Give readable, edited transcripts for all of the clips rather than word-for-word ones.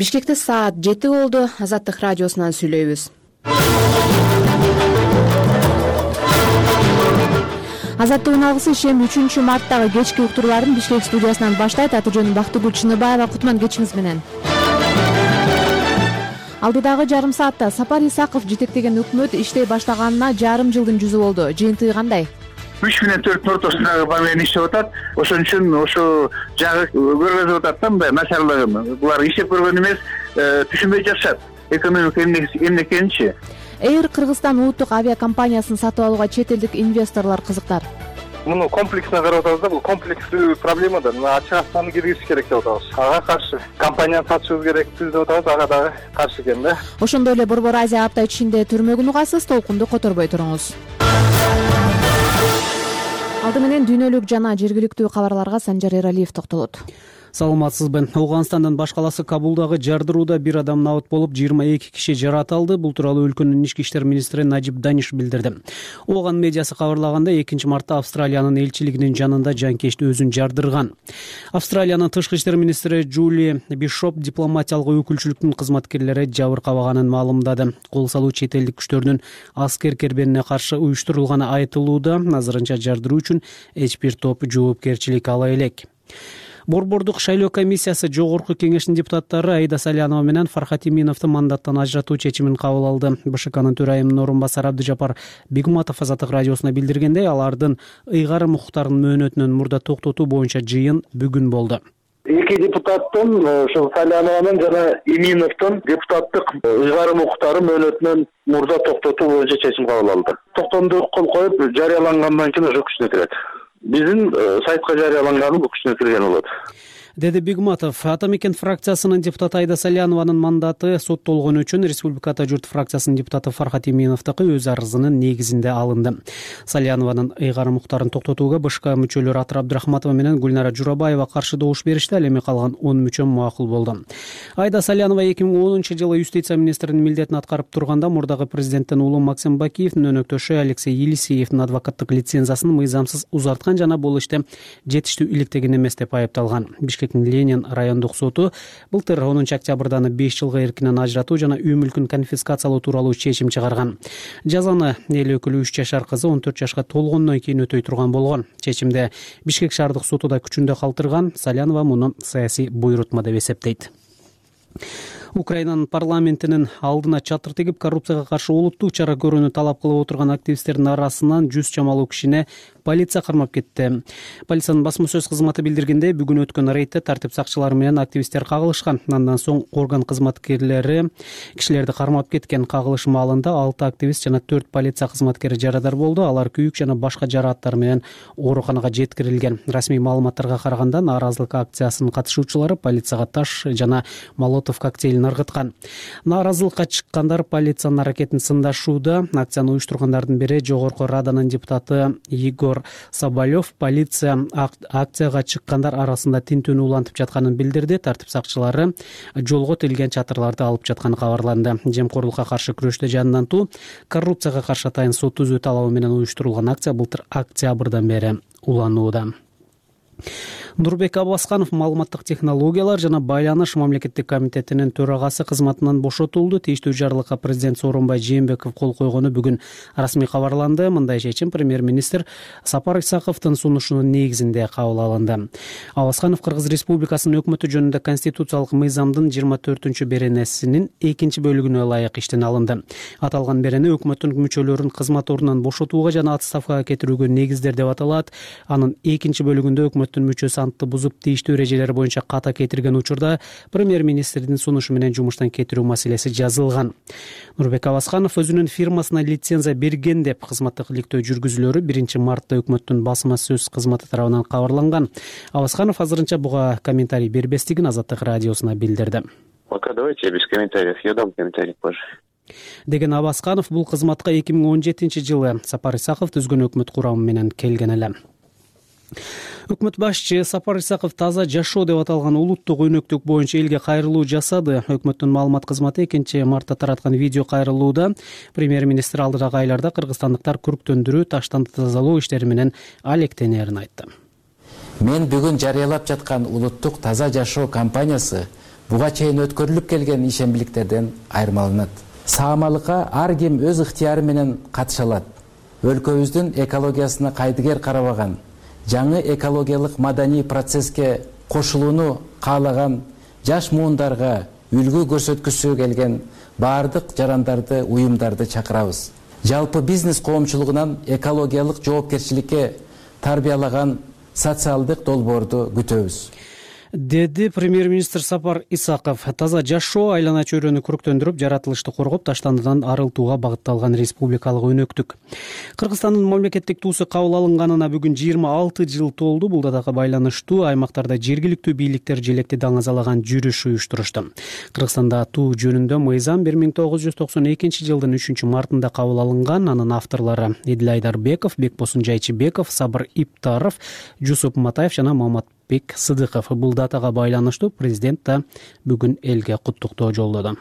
Бишкекте саат 7 болду. Азаттык радиосунан сүйлөйбүз. Азаттыктын алгысы ишем 3-марттагы кечки уктурууларын Бишкек студиясынан баштайт. Аты жөнүм Бактыгүл Чыныбаева. Кутман кечиңиз менен. Алдыдагы жарым саатта Сапар Исаков жетектеген өкмөт иштей баштаганына жарым жылдын жүзү болду. Жыйынтыгы кандай? 3 менен 4 ортосундагы памен иштеп атат. Ошон үчүн ошо жагы көргөзүп атат да, мындай начарлыгын. Булар иштеп көргөн эмес, түшүнбөй жатышат. Экономика эмне экенинчи. Air Кыргызстан улуттук авиакомпаниясын сатып алууга чет элдик инвесторлор кызыктар. Муну комплексно карап атабыз да, бул комплекстүү проблема да. Ачык акчаны киргизиш керек деп атабыз. Ага каршы. Компанияны сатышыбыз керекпиз деп атабыз, ага дагы каршы экен да. Ошондой эле Борбор Азия апта ичинде түрмөгүн угасыз, толкунду которбой туруңуз. Алды менен дүйнөлүк жана жергиликтүү кабарларга Санжар Эралиев токтолот. Саламатсызбы. Ауганстандын баш каласы Кабулдагы жардырууда бир адам набыт болуп, 22 киши жаратылды. Бул тууралуу өлкөнүн ички иштер министри Najib Danish билдирди. Ооган медиасы кабарлаганда 2-мартта Австралиянын элчилигинин жанында жанкечти өзүн жардырган. Австралиянын тышкы иштер министри Джули Бишоп дипломатиялык өкүлчүлүктүн кызматкерлери жабыркабаганын маалымдады. Кол салуу чет элдик күчтөрдүн аскер кербенине каршы уюштурулганы айтылууда. Азырынча жардыруу үчүн эч бир топ жоопкерчилик ала элек. Борбордук шайлоо комиссиясы жогорку кеңештин депутаттары Аида Салянова менен Фархат Иминовду мандаттан ажыратуу чечимин кабыл алды. БШКнын төрайымынын орун басары Абдыжапар Бигматов Азаттык радиосуна билдиргендей, алардын ыйгарым укуктарын мөөнөтүнөн мурда токтотуу боюнча жыйын бүгүн болду. Эки депутаттын, ошол Салянованын жана Иминовдун депутаттык ыйгарым укуктары мөөнөтүнөн мурда токтотуу боюнча чечим кабыл алды. Токтомду кол коюп, жарыялангандан кийин уже күчүнө кирет. Биздин сайтка жарыяланганы бул күчүнө кирген болот, деди Бигматов. Ата мекен фракциясынын депутаты Аида Салянованын мандаты соттолгону үчүн Республиката журт фракциясынын депутаты Фархат Иминовдуку өз арызынын негизинде алынды. Салянованын ыйгарым укуктарын токтотууга БШК мүчөлөрү Атыр Абдрахматова менен Гүлнара Журабаева каршы добуш беришти, ал эми калган 10 мүчө макул болду. Аида Салянова 2010-жылы юстиция министринин милдетин аткарып турганда мурдагы президенттин уулу Максим Бакиевдин өнөктөшү Алексей Елисеевдин адвокаттык лицензиясын мыйзамсыз узарткан жана бул иште жетиштүү иликтеген эмес деп айыпталган. Ленин райондук соту былтыр 10-октябрдан 5 жылга эркинен ажыратуу жана үй мүлкүн конфискациялоо тууралуу чечим чыгарган. Жазаны эл өкүлү 3 жашар кызы 14 жашка толгондон кийин өтөй турган болгон. Чечимде Бишкек шаардык соту да күчүндө калтырган. Салянова муну саясий буйрутма деп эсептейт. Украинанын парламентинин алдына чатыр тегип, коррупцияга каршы улуттук чара көрүүнү талап кылып отырган активисттердин арасынан 100 чамалуу кишине полиция кармап кетти. Полициянын басма сөз кызматы билдиргендей, бүгүн өткөн рейдте тартип сакчылары менен активисттер кагылышкан. Андан соң орган кызматкерлери кишилерди кармап кеткен. Кагылыш маалында 6 активист жана 4 полиция кызматкери жарадар болду. Алар күйүк жана башка жарааттар менен ооруканага жеткирилген. Расмий маалыматтарга караганда, нааразылык акциясынын катышуучулары полицияга таш жана молотов коктейлин ыргыткан. Нааразылыкка чыккандар полициянын аракетин сындашууда. Акцияны уюштургандардын бири жогорку Раданын депутаты Егор Соболев полиция акцияга чыккандар арасында тинтүүнү улантып жатканын билдирди. Тартип сакчылары жолго тилген чатырларды алып жатканы кабарланды. Жемкорлукка каршы күрөштө жанынан туу, коррупцияга каршы атайын сот түзүү талабы менен уюштурулган акция былтыр октябрдан бери уланууда. Нурбек Абасканов маалыматтык технологиялар жана байланыш мамлекеттик комитетинин төрагасы кызматынан бошотулду. Тийиштүү жарлыкка президент Сооронбай Жээнбеков кол койгону бүгүн расмий кабарланды. Мындай чечим премьер-министр Сапар Исаковдун сунушунун негизинде кабыл алынды. Абасканов Кыргыз Республикасынын өкмөтү жөнүндө конституциялык мыйзамдын 24 беренесинин 2 бөлүгүнө ылайык иштен алынды. Аталган берене өкмөттүн мүчөлөрүн кызмат ордунан бошотууга жана отставкага кетирүүгө негиздер деп аталат. Анын 2 бөлүгүндө өкмөттүн мүчөсү антты бузуп тийиштүү эрежелер боюнча ката кетирген учурда премьер-министрдин сунушу менен жумуштан кетирүү маселеси жазылган. Нурбек Абасканов өзүнүн фирмасына лицензия берген деп кызматтык иликтөө жүргүзүүлөрү 1-мартта өкмөттүн басма сөз кызматы тарабынан кабарланган. Абасканов азырынча буга комментарий бербестигин Азаттык радиосуна билдирди. Пока давайте без комментариев. Я дам комментарий позже. Деген Абасканов бул кызматка 2017-жылы Сапар Исаков түзгөн өкмөт курамы менен келген эле. Өкмөт башчы Сапар Исаков таза жашоо деп аталган улуттук өнөктүк боюнча элге кайрылуу жасады. Өкмөттүн маалымат кызматы 2-мартта тараткан видео кайрылууда премьер-министр алдыдагы айларда кыргызстандыктар күрктөндүрүү, таштанды тазалоо иштери менен алектенерин айтты. Мен бүгүн жарыялап жаткан улуттук таза жашоо кампаниясы буга чейин өткөрүлүп келген ишембиликтерден айырмаланат. Саамалыкка ар ким өз ыктыяры менен катыша алат. Өлкөбүздүн экологиясына кайдыгер карабаган, жаңы экологиялык маданий процесске кошулууну каалаган жаш муундарга үлгү көрсөткүсү келген баардык жарандарды, уюмдарды чакырабыз. Жалпы бизнес коомчулугунан экологиялык жоопкерчиликке тарбиялаган социалдык долбоорду күтөбүз, деди премьер-министр Сапар Исаков. Таза жашоо айлана чөйрөнү көрктөндүрүп, жаратылышты коргоп, таштандыдан арылтууга багытталган республикалык өнөктүк. Кыргызстандын мамлекеттик туусу кабыл алынганына бүгүн 26 жыл толду. Бул датага байланыштуу аймактарда жергиликтүү бийликтер желекти даңазалаган жүрүш уюштурушту. Кыргызстанда туу жөнүндө мыйзам 1992 жылдын 3 мартында кабыл алынган. Анын авторлору Эдил Айдарбеков, Бекбосун Жайчыбеков, Сабыр Иптаров, Жусуп Матаев жана Маматбек Сыдыков. Бул датага байланыштуу президент да бүгүн элге куттуктоо жолдоду.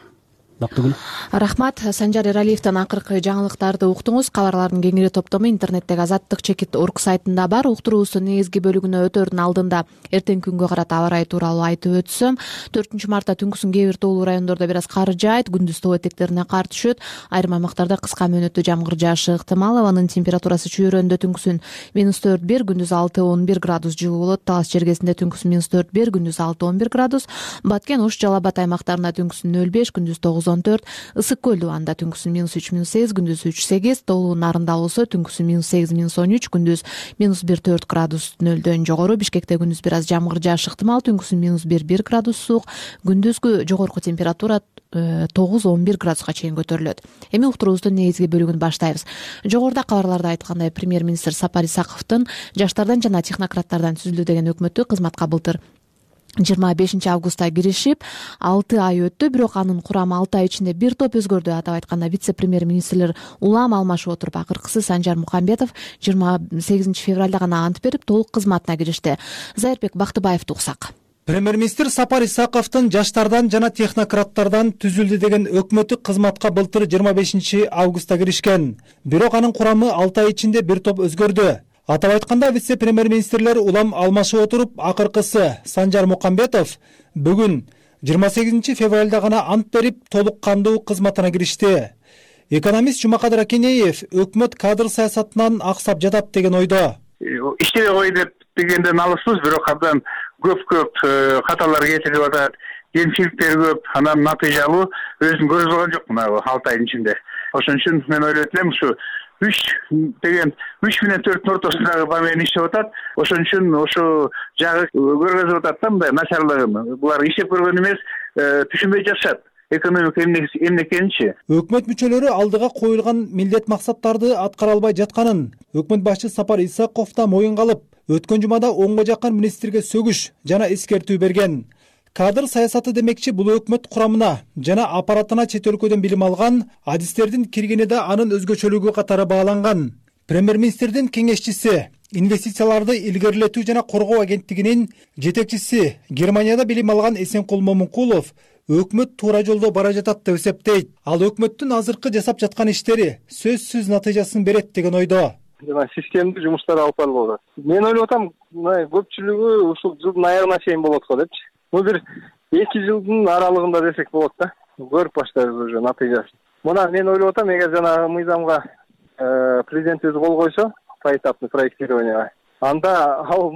Бактыгүл. Рахмат. Санжар Эралиевден акыркы жаңылыктарды уктуңуз. Кабарлардын кеңири топтому интернеттеги Азаттык чекит орг сайтында бар. Уктуруубуздун негизги бөлүгүнө өтөрдүн алдында эртең күнгө карата аба ырайы тууралуу айтып өтсөм, 4 мартта түнкүсүн кээ бир тоолуу райондордо бир аз кар жаайт, күндүз тоо этектерине кар түшөт, айрым аймактарда кыска мөөнөттүү жамгыр жаашы ыктымал. Абанын температурасы чүйрөндө түнкүсүн -4-1, күндүз 6-11 градус жылуу болот. Талас чергесинде түнкүсүн -4-1, күндүз 6-11 градус. Баткен, Ош, Жалал Абад аймактарында түнкүсүн 0-5, күндүз 9-14, Ысык көл дубанда түнкүсүн -3-8, күндүз 3-8, тоолуу нарында болсо түнкүсүн -8, -13, күндүз -1-4 градус нөлдөн жогору. Бишкекте күндүз бир аз жамгыр жаашы ыктымал, түнкүсүн -1-1 градус суук, күндүзгү жогорку температура 9-11 градуска чейин көтөрүлөт. Эми уктуруубуздун негизги бөлүгүн баштайбыз. Жогоруда кабарларда айткандай, премьер-министр Сапар Исаковдун жаштардан жана технократтардан түзүлдү деген өкмөтү кызматка былтыр 25 августта киришип 6 ай өттү, бирок анын курамы 6 ай ичинде бир топ өзгөрдү. Атап айтканда, вице-премьер-министрлер улам алмашып отуруп, акыркысы Санжар Мукамбетов 28 февралда гана ант берип, толук кызматына киришти. Зайырбек Бактыбаевди уксак. Премьер-министр Сапар Исаковдун жаштардан жана технократтардан түзүлдү деген өкмөтү кызматка былтыр 25 августта киришкен. Бирок анын курамы 6 ай ичинде бир топ өзгөрдү. Атап айтканда, вице-премьер-министрлер улам алмашып отуруп, акыркысы Санжар Мукамбетов бүгүн 28 февралда гана ант берип, толук кандуу кызматына киришти. Экономист Жумакадыр Акинеев өкмөт кадр саясатынан аксап жатат деген ойдо. Иштебей кой дегенден алыспыз, бирок абдан көп каталар кетирип атат, кемчиликтер көп, анан натыйжалуу өзүн көрсөткөн жок мына 6 айдын ичинде. Ошон үчүн мен ойлойт элем, ушу 3 менен 4 ортосундагы момент иштеп атат. Ошон үчүн ошо жагы көргөзүп атат да, мындай начарлыгын. Булар иштеп көргөн эмес, түшүнбөй жатышат. Экономика эмне экенинчи. Өкмөт мүчөлөрү алдыга коюлган милдет максаттарды аткара албай жатканын өкмөт башчы Сапар Исаков да моюнга алып, өткөн жумада 10го жакын министрге сөгүш жана эскертүү берген. Кадр саясаты демекчи, бул өкмөт курамына жана аппаратына чет өлкөдөн билим алган адистердин киргени да анын өзгөчөлүгү катары бааланган. Премьер-министрдин кеңешчиси, инвестицияларды илгерилетүү жана коргоо агенттигинин жетекчиси, Германияда билим алган Эсенкул Момункулов өкмөт туура жолдо бара жатат деп эсептейт. Ал өкмөттүн азыркы жасап жаткан иштери сөзсүз натыйжасын берет деген ойдо. Жана системдик жумуштар алып барылып атат. Мен ойлоп атам, көпчүлүгү ушул жылдын аягына чейин болот го депчи. Бир 2 жылдын аралыгында десек болот да. Көрүп баштайбыз уже натыйжасын. Мына мен ойлоп атам, эгер жана мыйзамга президент өзү кол койсо, поэтапный проектированияга, анда ал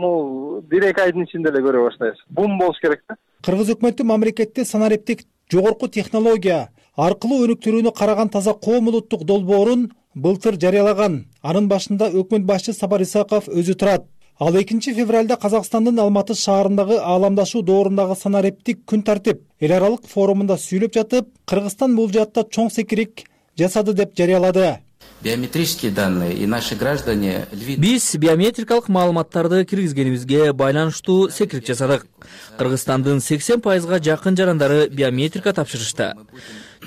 бир-эки айдын ичинде эле көрө баштайбыз. Бум болуш керек да. Кыргыз өкмөтү мамлекетте санариптик жогорку технология аркылуу өнүктүрүүнү караган таза коом улуттук долбоорун былтыр жарыялаган. Анын башында өкмөт башчы Сапар Исаков өзү турат. Ал 2 февралда Казакстандын Алматы шаарындагы ааламдашуу доорундагы санариптик күн тартип эл аралык форумунда сүйлөп жатып, Кыргызстан бул жаатта чоң секирик жасады деп жарыялады. Биометрические данные и наши граждане... Биз биометрикалык маалыматтарды киргизгенибизге байланыштуу секирик жасадык. Кыргызстандын 80%га жакын жарандары биометрика тапшырышты.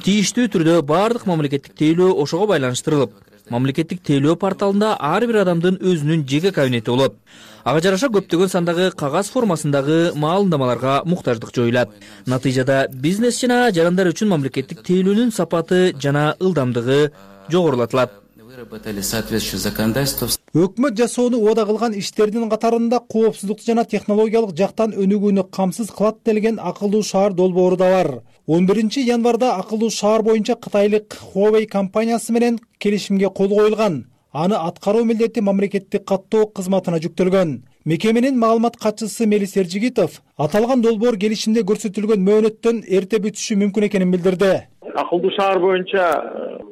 Тийиштүү түрдө бардык мамлекеттик тейлөө ошого байланыштырылып, мамлекеттик тейлөө порталында ар бир адамдын өзүнүн жеке кабинети болот. Ага жараша көптөгөн сандагы кагаз формасындагы маалымдамаларга муктаждык жоюлат. Натыйжада бизнес жана жарандар үчүн мамлекеттик тейлөөнүн сапаты жана ылдамдыгы жогорулатылат. Выработали соответствующее законодательство. Өкмөт жасоону убада кылган иштердин катарында коопсуздукту жана технологиялык жактан өнүгүүнү камсыз кылат делген акылдуу шаар долбоору да бар. 11 январда акылдуу шаар боюнча кытайлык Huawei компаниясы менен келишимге кол коюлган. Аны аткаруу милдети мамлекеттик каттоо кызматына жүктөлгөн. Мекеменин маалымат катчысы Мелис Эржигитов аталган долбоор келишимде көрсөтүлгөн мөөнөттөн эрте бүтүшү мүмкүн экенин билдирди. Акылдуу шаар боюнча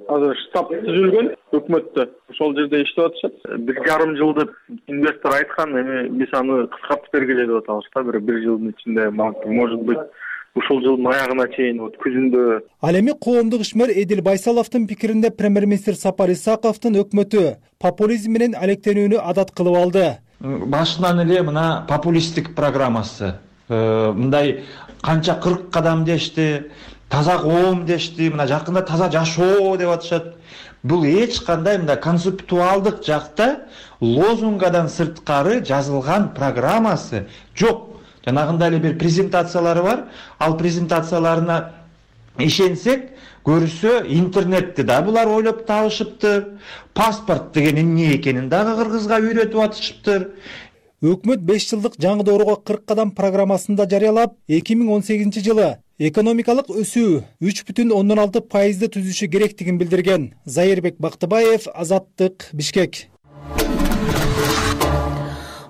азыр штаб түзүлгөн өкмөттө. Ошол жерде иштеп атышат. 1,5 жыл деп инвестор айткан, эми биз аны кыскартып бергиле деп атабыз да. Бир жылдын ичинде, может быть, ушул жылдын аягына чейин күзүндө. Ал эми коомдук ишмер Эдил Байсаловдун пикиринде премьер-министр Сапар Исаковдун өкмөтү популизм менен алектенүүнү адат кылып алды. Башынан эле мына популисттик программасы. Мындай канча 40 кадам дешти, таза коом дешти, мына жакында таза жашоо деп атышат. Бул эч кандай мындай концептуалдык жакта лозунгадан сырткары жазылган программасы жок. Жанагында эле бир презентациялары бар. Ал презентацияларына ишенсек, көрсө интернетти да булар ойлоп табышыптыр. Паспорт деген эмне экенин дагы кыргызга үйрөтүп атышыптыр. Өкмөт 5 жылдык жаңы доорого 40 кадам программасында жарыялап, 2018 жылы экономикалык өсүү 3,6% түзүшү керектигин билдирген. Зайырбек Бактыбаев, Азаттык, Бишкек.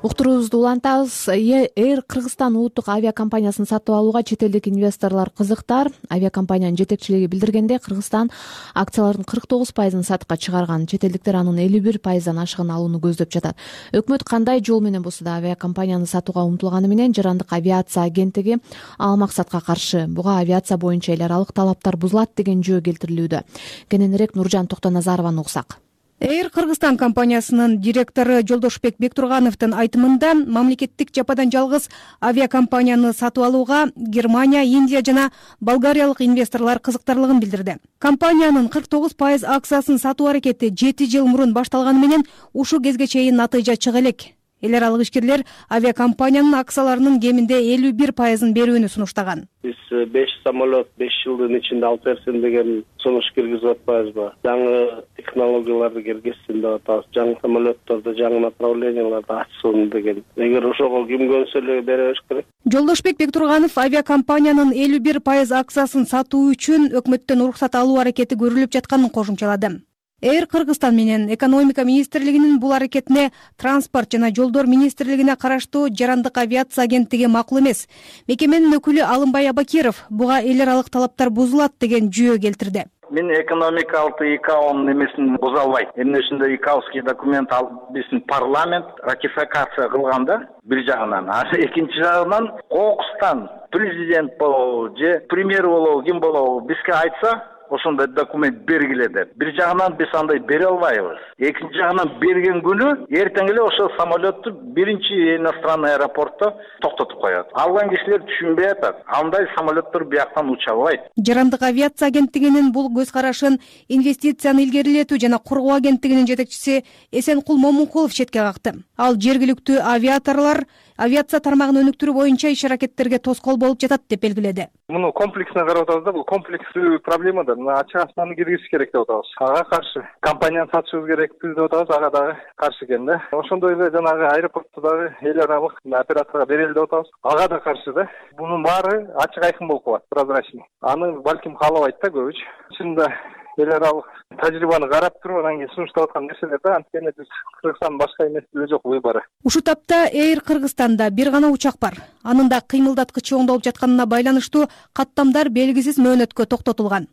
Уктуруубузду улантабыз. Air Кыргызстан улуттук авиакомпаниясын сатып алууга чет элдик инвесторлор кызыктар. Авиакомпаниянын жетекчилиги билдиргенде, Кыргызстан акциялардын 49% сатыкка чыгарган. Чет элдиктер анын 51%дан ашыгын алууну көздөп жатат. Өкмөт кандай жол менен болсо да авиакомпанияны сатууга умтулганы менен Жарандык авиация агенттиги ал максатка каршы. Буга авиация боюнча эл аралык талаптар бузулат деген жөө келтирилүүдө. Кененирээк Нуржан Токтоназарованы уксак. Air Кыргызстан компаниясынын директору Жолдошбек Бектургановдун айтымында, мамлекеттик жападан жалгыз авиакомпанияны сатып алууга Германия, Индия жана болгариялык инвесторлор кызыктарлыгын билдирди. Компаниянын 49% акциясын сатуу аракети 7 жыл мурун башталганы менен ушул кезге чейин натыйжа чыга элек. Эл аралык ишкерлер авиакомпаниянын акцияларынын кеминде 51%ын берүүнү сунуштаган. Биз 5 самолет 5 жылдын ичинде алып берсин деген сунуш киргизип атпайбызбы? Жаңы технологияларды киргизсин деп атабыз. Жаңы самолетторду, жаңы направленияларды ачсын деген. Эгер ошого ким көнсө эле бере бериш керек. Жолдошбек Бектурганов авиакомпаниянын 51% акциясын сатуу үчүн өкмөттөн уруксат алуу аракети көрүлүп жатканын кошумчалады. Air Кыргызстан менен экономика министрлигинин бул аракетине транспорт жана жолдор министрлигине караштуу Жарандык авиация агенттиги макул эмес. Мекеменин өкүлү Алымбай Абакиров буга эл аралык талаптар бузулат деген жөө келтирди. Мен экономикалык ИКАОнун эмесин буза албайт. Эмне үчүндө ИКАОский документ алып биздин парламент ратификация кылганда бир жагынан, экинчи жагынан кокустан президент болобу же премьер болобу ким болобу бизге айтса, ошондой документ бергиле деп. Бир жагынан биз андай бере албайбыз. Экинчи жагынан берген күнү эртең эле ошол самолетту биринчи иностранный аэропортто токтотуп коет. Алган кишилер түшүнбөй атат. Андай самолеттор бияктан уча албайт. Жарандык авиация агенттигинин бул көз карашын инвестицияны илгерилетүү жана коргоо агенттигинин жетекчиси Эсенкул Момункулов четке какты. Ал жергиликтүү авиаторлор авиация тармагын өнүктүрүү боюнча иш аракеттерге тоскоол болуп жатат деп белгиледи. Муну комплексно карап атабыз да, бул комплекстүү проблема да. Ачык ачманы киргизиш керек деп атабыз. Ага каршы. Компанияны сатышыбыз керекпиз деп атабыз, ага дагы каршы экен да. Ошондой эле жанагы аэропортто дагы эл аралык операторго берели деп атабыз. Ага да каршы да. Бунун баары ачык айкын болуп калат, прозрачный. Аны балким каалабайт да көбүч. Чынында эл аралык тажрыйбаны карап туруп, анан кийин сунуштап аткан нерселер да, анткени биз Кыргызстан башка эмес жок выборы. Ушул тапта Air Кыргызстанда бир гана учак бар. Анын да кыймылдаткычы оңдолуп жатканына байланыштуу каттамдар белгисиз мөөнөткө токтотулган.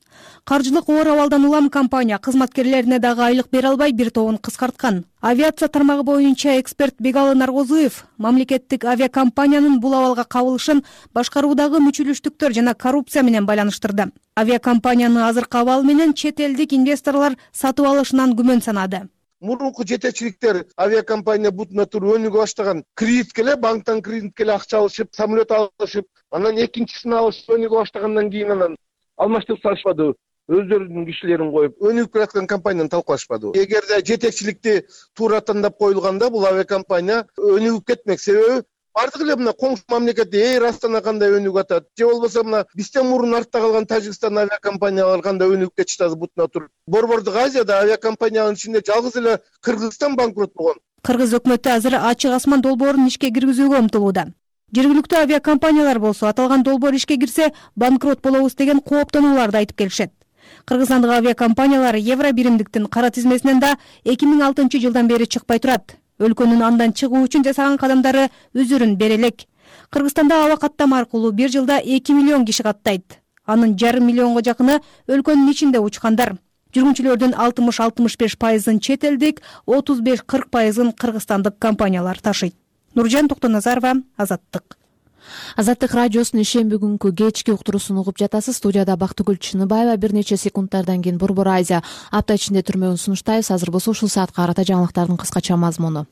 Каржылык оор абалдан улам компания кызматкерлерине дагы айлык бере албай бир тобун кыскарткан. Авиация тармагы боюнча эксперт Бегалы Наргозуев мамлекеттик авиакомпаниянын бул абалга кабылышын башкаруудагы мүчүлүштүктөр жана коррупция менен байланыштырды. Авиакомпаниянын азыркы абалы менен чет элдик инвесторлор сатып алышынан күмөн санады. Мурунку жетекчиликтер авиакомпания бутуна туруп өнүгө баштаган, кредитке эле банктан кредитке эле акча алышып, самолет алышып, анан экинчисин алышып өнүгө баштагандан кийин анан алмаштырып салышпады. Өздөрүнүн кишилерин коюп, өнүгүп келаткан компанияны талкуулашпады. Эгерде жетекчиликти туура тандап коюлганда, бул авиакомпания өнүгүп кетмек. Себеби бардык эле мына коңшу мамлекетте Эйр Астана кандай өнүгүп атат, же болбосо мына бизден мурун артта калган Тажикстан авиакомпаниялары кандай өнүгүп кетишти азыр бутуна туруп. Борбордук Азияда авиакомпаниянын ичинде жалгыз эле Кыргызстан банкрот болгон. Кыргыз өкмөтү азыр ачык асман долбоорун ишке киргизүүгө умтулууда. Жергиликтүү авиакомпаниялар болсо аталган долбоор ишке кирсе банкрот болобуз деген кооптонууларды айтып келишет. Кыргызстандык авиакомпаниялар евро биримдиктин кара тизмесинен да 2006 жылдан бери чыкпай турат. Өлкөнүн андан чыгуу үчүн жасаган кадамдары өзүрүн бере элек. Кыргызстанда аба каттама аркылуу бир жылда 2 миллион киши каттайт. Анын 1,5 миллионго жакыны өлкөнүн ичинде учкандар. Жүргүнчүлөрдүн 60-65%-ын чет элдик, 35-40%-ын кыргызстандык компаниялар ташыйт. Нуржан Токтоназарова, Азаттык. Азаттык радиосунун ишемби күнкү кечки уктуруусун угуп жатасыз. Студияда Бактыгүл Чыныбаева. Бир нече секундтардан кийин Борбор Азия апта ичинде түрмөгүн сунуштайбыз. Азыр болсо ушул саатка карата жаңылыктардын кыскача мазмуну.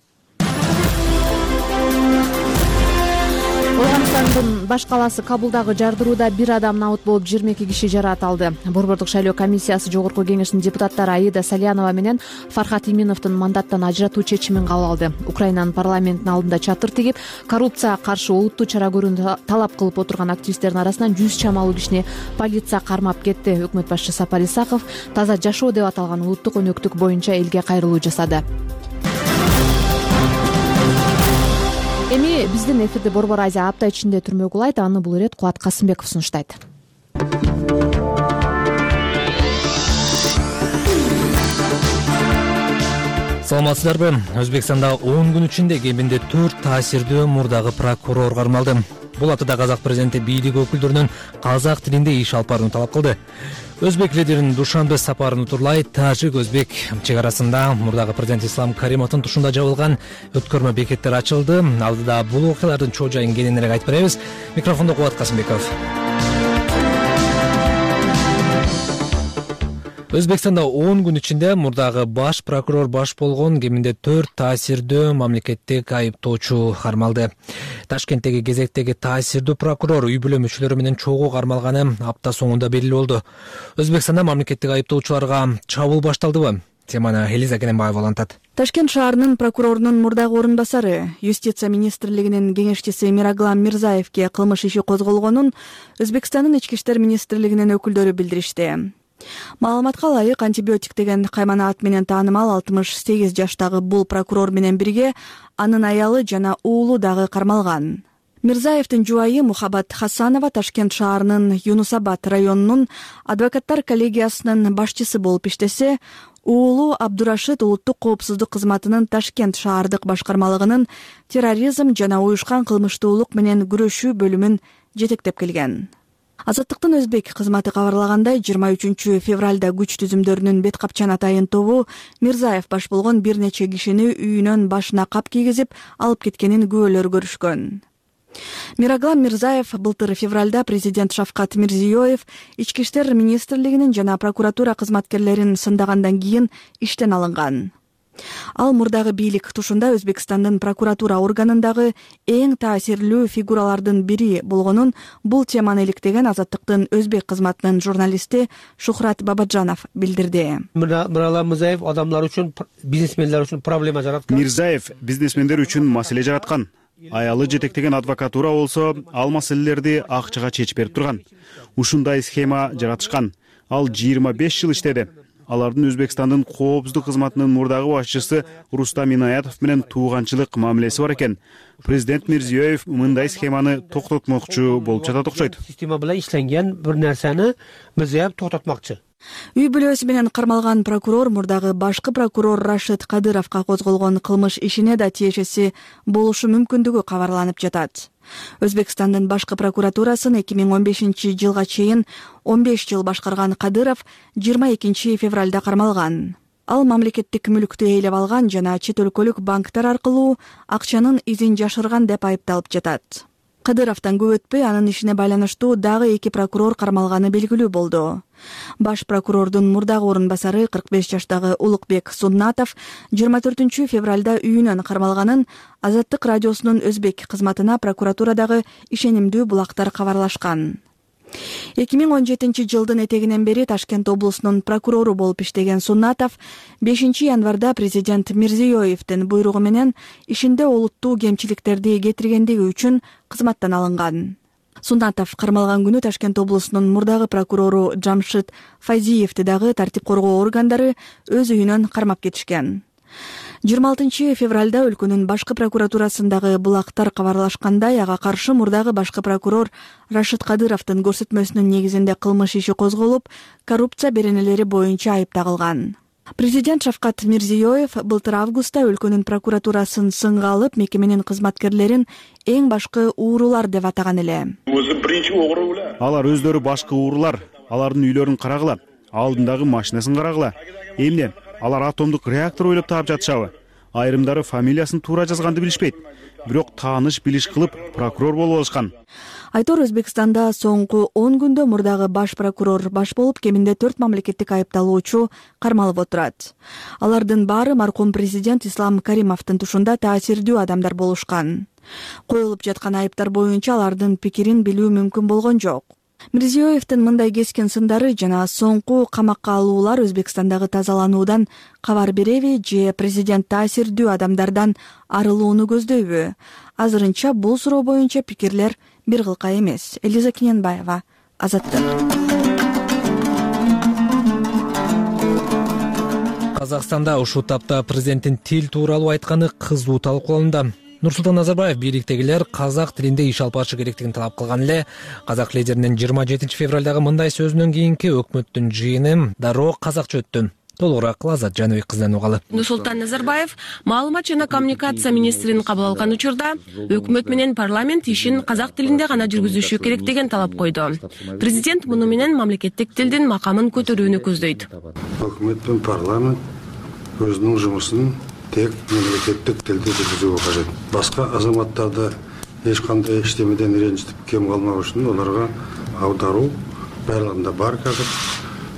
Афганистандын баш калаасы Кабулдагы жардырууда бир адам набыт болуп 22 киши жараат алды. Борбордук шайлоо комиссиясы жогорку кеңешинин депутаттары Аида Салянова менен Фархат Иминовдун мандаттан ажыратуу чечимин кабыл алды. Украинанын парламентинин алдында чатыр тигип, коррупцияга каршы олуттуу чара көрүүнү талап кылып отурган активисттердин арасынан 100 чамалуу кишини полиция кармап кетти. Өкмөт башчысы Сапар Исаков таза жашоо деп аталган улуттук өнөктүк боюнча элге кайрылуу жасады. Эми биздин эфирде Борбор Азия апта ичинде түрмө кулайт. Аны бул ирет Кубат Касымбеков сунуштайт. Саламатсыздарбы? Өзбекстанда 10 күн ичинде кеминде 4 таасирдүү мурдагы прокурор кармалды. Бул атыда казак президенти бийлик өкүлдөрүнүн казак тилинде иш алып барууну талап кылды. Өзбек лидеринин Душанбе сапарын утурлай тажик-өзбек чек арасында мурдагы президент Ислам Каримовдун тушунда жабылган өткөрмө бекеттер ачылды. Алдыда бул окуялардын чоо жайын кененирээк айтып беребиз. Микрофондо Кубат Касымбеков. Өзбекстанда 10 күн ичинде мурдагы баш прокурор баш болгон кеминде 4 таасирдүү мамлекеттик айыптоочу кармалды. Ташкенттеги кезектеги таасирдүү прокурор үй бүлө мүчөлөрү менен чогуу кармалганы апта соңунда белгилүү болду. Өзбекстанда мамлекеттик айыптоочуларга чабуул башталдыбы? Теманы Элиза Кененбаева улантат. Ташкент шаарынын прокурорунун мурдагы орун басары, Юстиция министрлигинин кеңешчиси Мираглам Мирзаевке кылмыш иши козголгонун Өзбекстандын ички иштер министрлигинин өкүлдөрү билдиришти. Маалыматка ылайык, антибиотик деген каймана ат менен таанымал 68 жаштагы бул прокурор менен бирге анын аялы жана уулу дагы кармалган. Мирзаевдин жубайы Мухаббат Хасанова Ташкент шаарынын Юнусабад районунун адвокаттар коллегиясынын башчысы болуп иштесе, уулу Абдурашид улуттук коопсуздук кызматынын Ташкент шаардык башкармалыгынын терроризм жана уюшкан кылмыштуулук менен күрөшүү бөлүмүн жетектеп келген. Азаттыктын өзбек кызматы кабарлагандай, 23 февралда күч түзүмдөрүнүн бет капчан атайын тобу Мирзаев баш болгон бир нече кишини үйүнөн башына кап кийгизип алып кеткенин күбөлөр көрүшкөн. Мираглам Мирзаев былтыр февралда президент Шавкат Мирзиёев ички иштер министрлигинин жана прокуратура кызматкерлерин сындагандан кийин иштен алынган. Ал мурдагы бийлик тушунда Өзбекстандын прокуратура органындагы эң таасирлүү фигуралардын бири болгонун бул теманы иликтеген Азаттыктын өзбек кызматынын журналисти Шухрат Бабаджанов билдирди. Мираглам Мирзаев адамдар үчүн, бизнесмендер үчүн проблема жараткан. Мирзаев бизнесмендер үчүн маселе жараткан. Аялы жетектеген адвокатура болсо, ал маселелерди акчага чечип берип турган. Ушундай схема жаратышкан. Ал 25 жыл иштеди. Алардын Өзбекстандын коопсуздук кызматынын мурдагы башчысы Рустам Инаятов менен тууганчылык мамилеси бар экен. Президент Мирзиёев мындай схеманы токтотмокчу болуп жатат окшойт. Система менен ишленген бир нерсени Мирзиёев токтотмокчу. Үй бүлөсү менен кармалган прокурор мурдагы башкы прокурор Рашид Кадыровго козголгон кылмыш ишине да тиешеси болушу мүмкүндүгү кабарланып жатат. Өзбекстандын башкы прокуратурасын 2015 жылга чейин 15 жыл башкарган Кадыров 22 февралда кармалган. Ал мамлекеттик мүлктү ээлеп алган жана чет өлкөлүк банктар аркылуу акчанын изин жашырган деп айыпталып жатат. Кадыровдон көп өтпөй анын ишине байланыштуу дагы 2 прокурор кармалганы белгилүү болду. Баш прокурордун мурдагы орун басары 45 жаштагы Улукбек Суннатов 24 февралда үйүнөн кармалганын Азаттык радиосунун өзбек кызматына прокуратурадагы ишенимдүү булактар кабарлашкан. 2017-жылдын этегинен бери Ташкент облусунун прокурору болуп иштеген Суннатов 5 январда президент Мирзиёевдин буйругу менен ишинде олуттуу кемчиликтерди кетиргендиги үчүн кызматтан алынган. Суннатов кармалган күнү Ташкент облусунун мурдагы прокурору Жамшит Файзиевди дагы тартип коргоо органдары өз үйүнөн кармап кетишкен. 26 февралда өлкөнүн башкы прокуратурасындагы булактар кабарлашкандай, ага каршы мурдагы башкы прокурор Рашид Кадыровдун көрсөтмөсүнүн негизинде кылмыш иши козголуп, коррупция беренелери боюнча айып тагылган. Президент Шавкат Мирзиёев былтыр августта өлкөнүн прокуратурасын сынга алып, мекеменин кызматкерлерин эң башкы уурулар деп атаган эле. Алар өздөрү башкы уурулар, алардын үйлөрүн карагыла, алдындагы машинасын карагыла. Эмне? Алар атомдук реактор ойлоп таап жатышабы? Айрымдары фамилиясын туура жазганды билишпейт. Бирок тааныш билиш кылып прокурор болуп алышкан. Айтор Өзбекстанда соңку 10 күндө мурдагы баш прокурор баш болуп, кеминде 4 мамлекеттик айыпталуучу кармалып отурат. Алардын баары маркум президент Ислам Каримовдун тушунда таасирдүү адамдар болушкан. Коюлуп жаткан айыптар боюнча алардын пикирин билүү мүмкүн болгон жок. Мирзиёевдин мындай кескен сындары жана соңку камакка алуулар Өзбекстандагы тазалануудан кабар береби же президент таасирдүү адамдардан арылууну көздөйбү? Азырынча бул суроо боюнча пикирлер бир кылка эмес. Элиза Кененбаева, Азаттык. Казакстанда ушул тапта президенттин тил тууралуу айтканы кызуу талкууланды. Нурсултан Назарбаев бийликтегилер казак тилинде иш алып барышы керектигин талап кылган эле. Казак лидеринин 27 февралдагы мындай сөзүнөн кийинки өкмөттүн жыйыны дароо казакча өттү. Толугураак Лазат Жаныбек кызынан угалы. Нурсултан Назарбаев маалымат жана коммуникация министрин кабыл алган учурда өкмөт менен парламент ишин казак тилинде гана жүргүзүшү керек деген талап койду. Президент муну менен мамлекеттик тилдин макамын көтөрүүнү көздөйт. Өкмөт менен парламент өзүнүн жумушун тек мемлекеттик тилде жүргүзүүгө кажет. Башка азаматтарды эч кандай иштемеден ренжитип кем калмак үчүн аларга аударуу барлыгында бар. Казак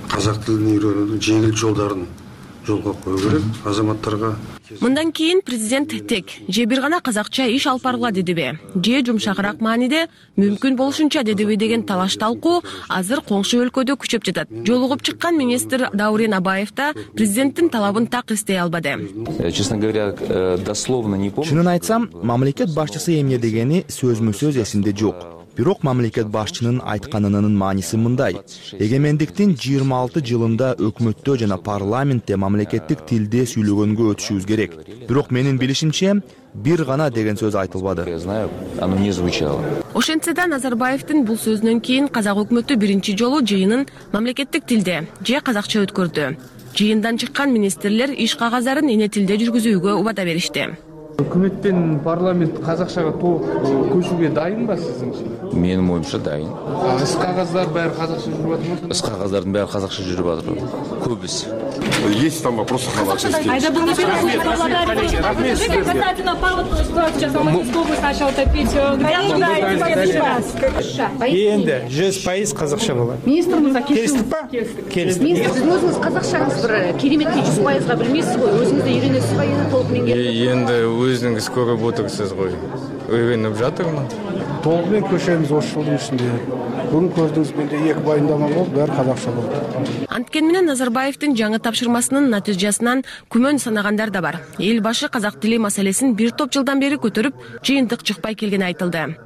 казак тилин үйрөнүүнүн жеңил жолдорун жолго коюу керек азаматтарга. Мындан кийин президент тек же бир гана казакча иш алып баргыла дедиби, же жумшагыраак мааниде мүмкүн болушунча дедиби деген талаш талкуу азыр коңшу өлкөдө күчөп жатат. Жолугуп чыккан министр Даурен Абаев да президенттин талабын так эстей албады. Честно говоря, дословно не помню. Чынын айтсам, мамлекет башчысы эмне дегени сөзмө-сөз эсимде жок. Бирок мамлекет башчынын айтканынын мааниси мындай: эгемендиктин 26 жылында өкмөттө жана парламентте мамлекеттик тилде сүйлөгөнгө өтүшүбүз керек. Бирок менин билишимче бир гана деген сөз айтылбады. Оно не звучало. Ошентсе да Назарбаевдин бул сөзүнөн кийин казак өкмөтү биринчи жолу жыйынын мамлекеттик тилде же казакча өткөрдү. Жыйындан чыккан министрлер иш кагаздарын эне тилде жүргүзүүгө убада беришти. Өкмөт пен парламент казакчага толук көчүүгө дайынбы сиздинче? Менин оюмча дайын. Іс кагаздар баары казакча жүрүп атат. Іс кагаздардын баары казакча жүрүп атат. Көбүсү. Есть там вопросы халатности. Касательно Павлова ситуация сейчас в Московской области начала топить. Енді жүз пайыз қазақша болады. Министр мырза келістік па? Келістік. Министр, сіз өзіңіз қазақшаңыз бір кереметке 100%-ға білмейсіз ғой, өзіңіз де үйренесіз ба, енді толық меңгеріп? Енді өзіңіз көріп отырсыз ғой. Үйреніп жатырмын. Толығымен көшеміз осы жылдың ішінде. Бүгін көрдіңіз, менде 2 баяндама болды, бәрі қазақша болды. Анткени менен Назарбаевдин жаңы тапшырмасынын натыйжасынан күмөн санагандар да бар. Эл башы казак тили маселесин бир топ жылдан бери көтөрүп, жыйынтык чыкпай келгени айтылды.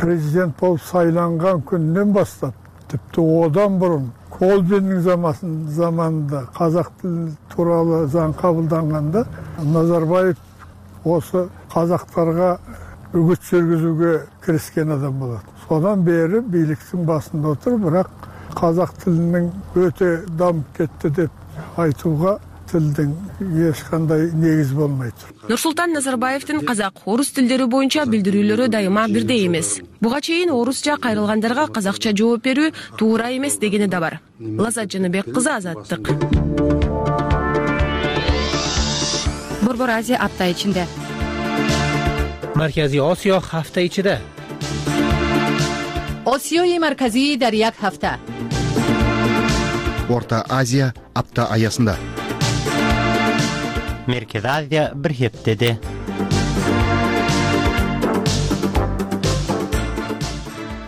Президент болуп сайланган күнүнөн баштап, типти одан бурун Колбинин заманында казак тили тууралуу заң кабылданганда Назарбаев осы казактарга үгүт жүргүзүүгө киришкен адам болот. Содан бери бийликтин басында отуруп, бирок казак тилинин өтө дамып кетти деп айтууга тилдин эч кандай негиз болмойт. Нурсултан Назарбаевдин казак, орус тилдери боюнча билдирүүлөрү дайыма бирдей эмес. Буга чейин орусча кайрылгандарга казакча жооп берүү туура эмес дегени да бар. Лазат Жаныбек кызы, Азаттык. Борбор Азия апта ичинде. Марказий Осиё ҳафта ичида. Осиёи марказӣ дар як ҳафта. Орта Азия апта аясында. Merkez Азия bir heftede.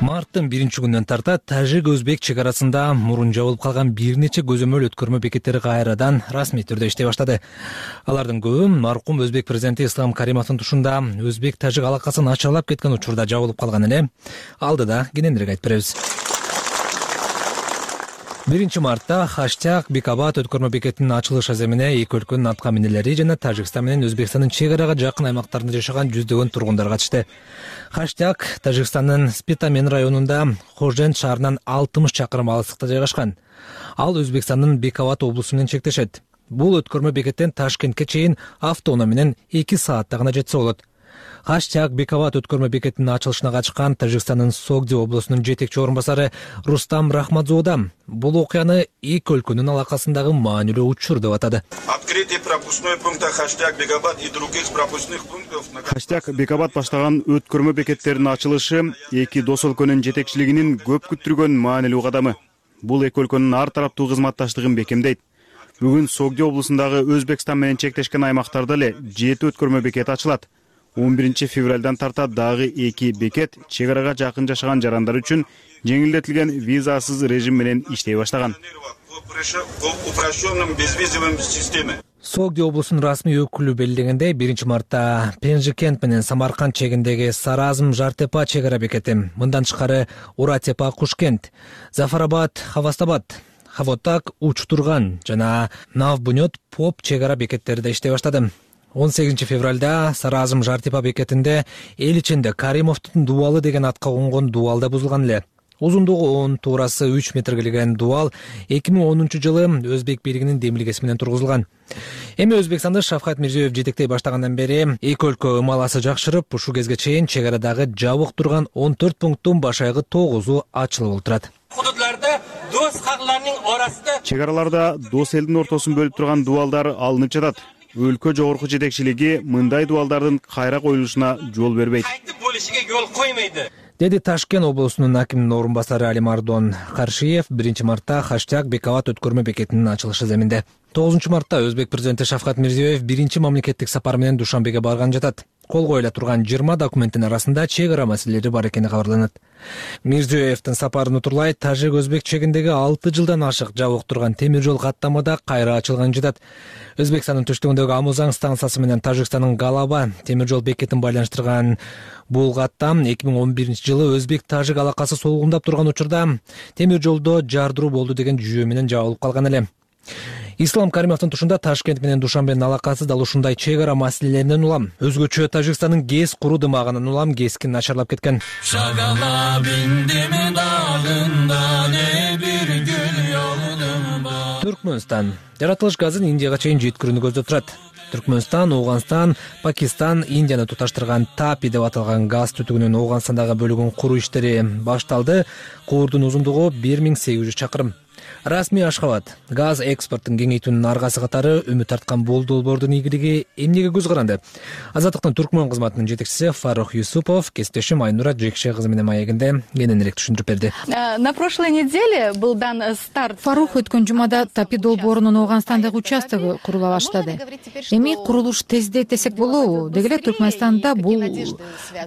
Март марттын 1-күнүнөн тарта тажик-өзбек чек арасында мурун жабылып калган бир нече көзөмөл өткөрмө бекеттери кайрадан расмий түрдө иштей баштады. Алардын көбү маркум өзбек президенти Ислам Каримовдун тушунда өзбек-тажик алакасын ачалап кеткен учурда жабылып калган эле. Алдыда кененирээк айтып беребиз. 1 мартта хаштаг Бекабат өткөрмө бекетинин ачылыш аземине эки өлкөнүн атка минелери жана Тажикстан менен Өзбекстандын чек арага жакын аймактарында жашаган жүздөгөн тургундар катышты. Хаштаг Тажикстандын Спитамен районунда Хожен шаарынан 60 чакырым алыстыкта жайгашкан. Ал Өзбекстандын Бекабат облусу менен чектешет. Бул өткөрмө бекеттен Ташкентке чейин автоунаа менен 2 саатта гана жетсе болот. Хаштаг Бекабат өткөрмө бекетинин ачылышына катышкан Тажикстандын Согди облусунун жетекчи орун басары Рустам Рахматзода бул окуяны эки өлкөнүн алакасындагы маанилүү учур деп атады. Открытие пропускной пункта Хаштаг Бекабат и других пропускных пунктов. Хаштаг Бекабат баштаган өткөрмө бекеттеринин ачылышы эки дос өлкөнүн жетекчилигинин көп күттүргөн маанилүү кадамы. Бул эки өлкөнүн ар тараптуу кызматташтыгын бекемдейт. Бүгүн Согди облусундагы Өзбекстан менен чектешкен аймактарда эле 7 өткөрмө бекети ачылат. 11 февралдан тарта дагы 2 бекет чек арага жакын жашаган жарандар үчүн жеңилдетилген визасыз режим менен иштей баштаган. Согди облусунун расмий өкүлү белгилегендей 1 мартта Пенжикент менен Самарканд чегиндеги Саразм Жартепа чек ара бекети, мындан тышкары Уратепа Кушкент, Зафарабад Хавастабад, Хавотак Учтурган жана Навбунет Поп чек ара бекеттери да иштей баштады. 18 февралда Саразм Жартепа бекетинде эл ичинде Каримовдун дубалы деген атка конгон дубал да бузулган эле. Узундугу 10, туурасы 3 метрге келген дубал 2010-жылы Өзбек бийлигинин демилгеси менен тургузулган. Эми Өзбекстанды Шавкат Мирзиёев жетектей баштагандан бери эки өлкө ымаласы жакшырып, ушул кезге чейин чек арадагы жабык турган 14 пункттун башайгы 9-у ачылып отурат. Hududlarda do'st xalqlarning orasida чек араларда дос элдин ортосун бөлүп турган дубалдар алынып жатат. Өлкө жогорку жетекчилиги мындай дубалдардын кайра коюлушуна жол бербейт. Деди Ташкент облусунун акиминин орун басары Алимардон Каршиев 1 мартта Хаштаг Бекабат өткөрмө бекетинин ачылышы земинде. 9 мартта Өзбек президенти Шавкат Мирзиёев биринчи мамлекеттик сапар менен Душанбеге барган жатат. Кол коюла турган 20 документтин арасында чек ара маселелери бар экени кабарланат. Мирзиёевдин сапарын утурлай Тажик-Өзбек чегиндеги 6 жылдан ашык жабык турган темир жол каттамада кайра ачылган жатат. Өзбекстандын түштүгүндөгү Амузан станциясы менен Тажикстандын Галаба темир жол бекетин байланыштырган бул каттам 2011-жылы Өзбек-Тажик алакасы солгундап турган учурда темир жолдо жардыруу болду деген жүйө менен жабылып калган эле. Ислам Каримовдун тушунда Ташкент менен Душанбенин алакасы дал ушундай чек ара маселелеринен улам. Өзгөчө Тажикстандын ГЭС куруу дымагынан улам ГЭСкин начарлап кеткен. Түркмөнстан жаратылыш газын Индияга чейин жеткирүүнү көздөп турат. Түркмөнстан, Ооганстан, Пакистан, Индияны туташтырган ТАПИ деп аталган газ түтүгүнүн Ооганстандагы бөлүгүн куруу иштери башталды. Куурдун узундугу 1800 чакырым. Расмий Ашхабад газ экспортун кеңейтүүнүн аргасы катары үмүт арткан бул долбоордун ийгилиги эмнеге көз каранды? Азаттыктын Түркмөн кызматынын жетекчиси Фарух Юсупов кесиптешим Айнура Жекше кызы менен маегинде кененирээк түшүндүрүп берди. На прошлой неделе был дан старт. Фарух өткөн жумада ТАПИ долбоорунун Ооганстандагы участогу курула баштады. Эми курулуш тездейт десек болобу? Деги эле Түркмөнстанда бул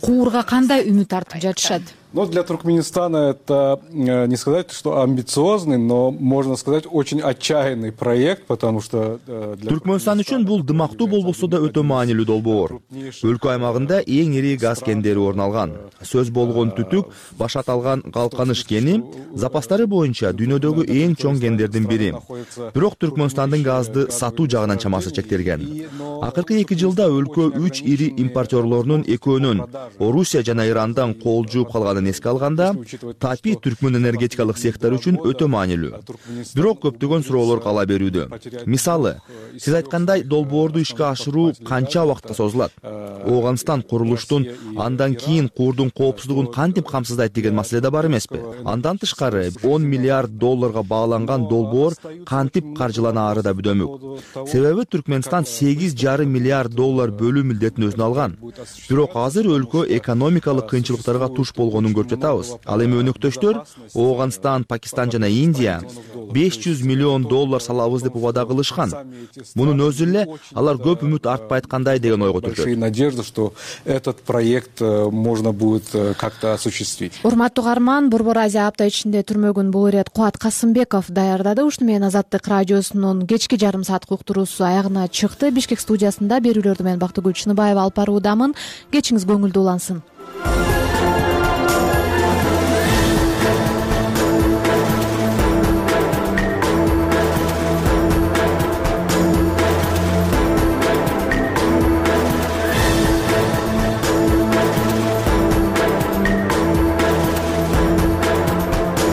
куурга кандай үмүт артып жатышат? Но для Туркменистана это не сказать, что амбициозный, но можно сказать очень отчаянный проект, потому что Түркмөнстан үчүн бул дымактуу болбосо да өтө маанилүү долбоор. Өлкө аймагында эң ири газ кендери орун алган. Сөз болгон түтүк баш аталган Калканыш кени запастары боюнча дүйнөдөгү эң чоң кендердин бири. Бирок Түркмөнстандын газды сатуу жагынан чамасы чектелген. Акыркы 2 жылда өлкө 3 ири импортерлорунун экөөнүн Орусия жана Ирандан кол жууп калганын эске алганда, ТАПИ Түркмөн энергетикалык сектор үчүн өтө маанилүү. Бирок көптөгөн суроолор кала берүүдө. Мисалы, сиз айткандай долбоорду ишке ашыруу канча убакытка созулат? Ооганстан курулуштун андан кийин куурдун коопсуздугун кантип камсыздайт деген маселе да бар эмеспи? Андан тышкары $10 миллиард багаланган долбоор кантип каржыланаары да бүдөмүк. Себеби Түркмөнстан $8,5 миллиард бөлүү милдетин өзүнө алган. Бирок азыр өлкө экономикалык кыйынчылыктарга туш болгонун көрүнүшүн көрүп жатабыз. Ал эми өнөктөштөр Ооганстан, Пакистан жана Индия $500 миллион салабыз деп убада кылышкан. Мунун өзү эле алар көп үмүт артпай айткандай деген ойго түртөт. Надежда, что этот проект можно будет как-то осуществить. Урматтуу каарман, Борбор Азия апта ичинде түрмөгүн бул ирет Кубат Касымбеков даярдады. Ушуну менен Азаттык радиосунун кечки жарым саат уктуруусу аягына чыкты. Бишкек студиясында берүүлөрдү мен Бактыгүл Чыныбаева алып баруудамын. Кечиңиз көңүлдүү улансын.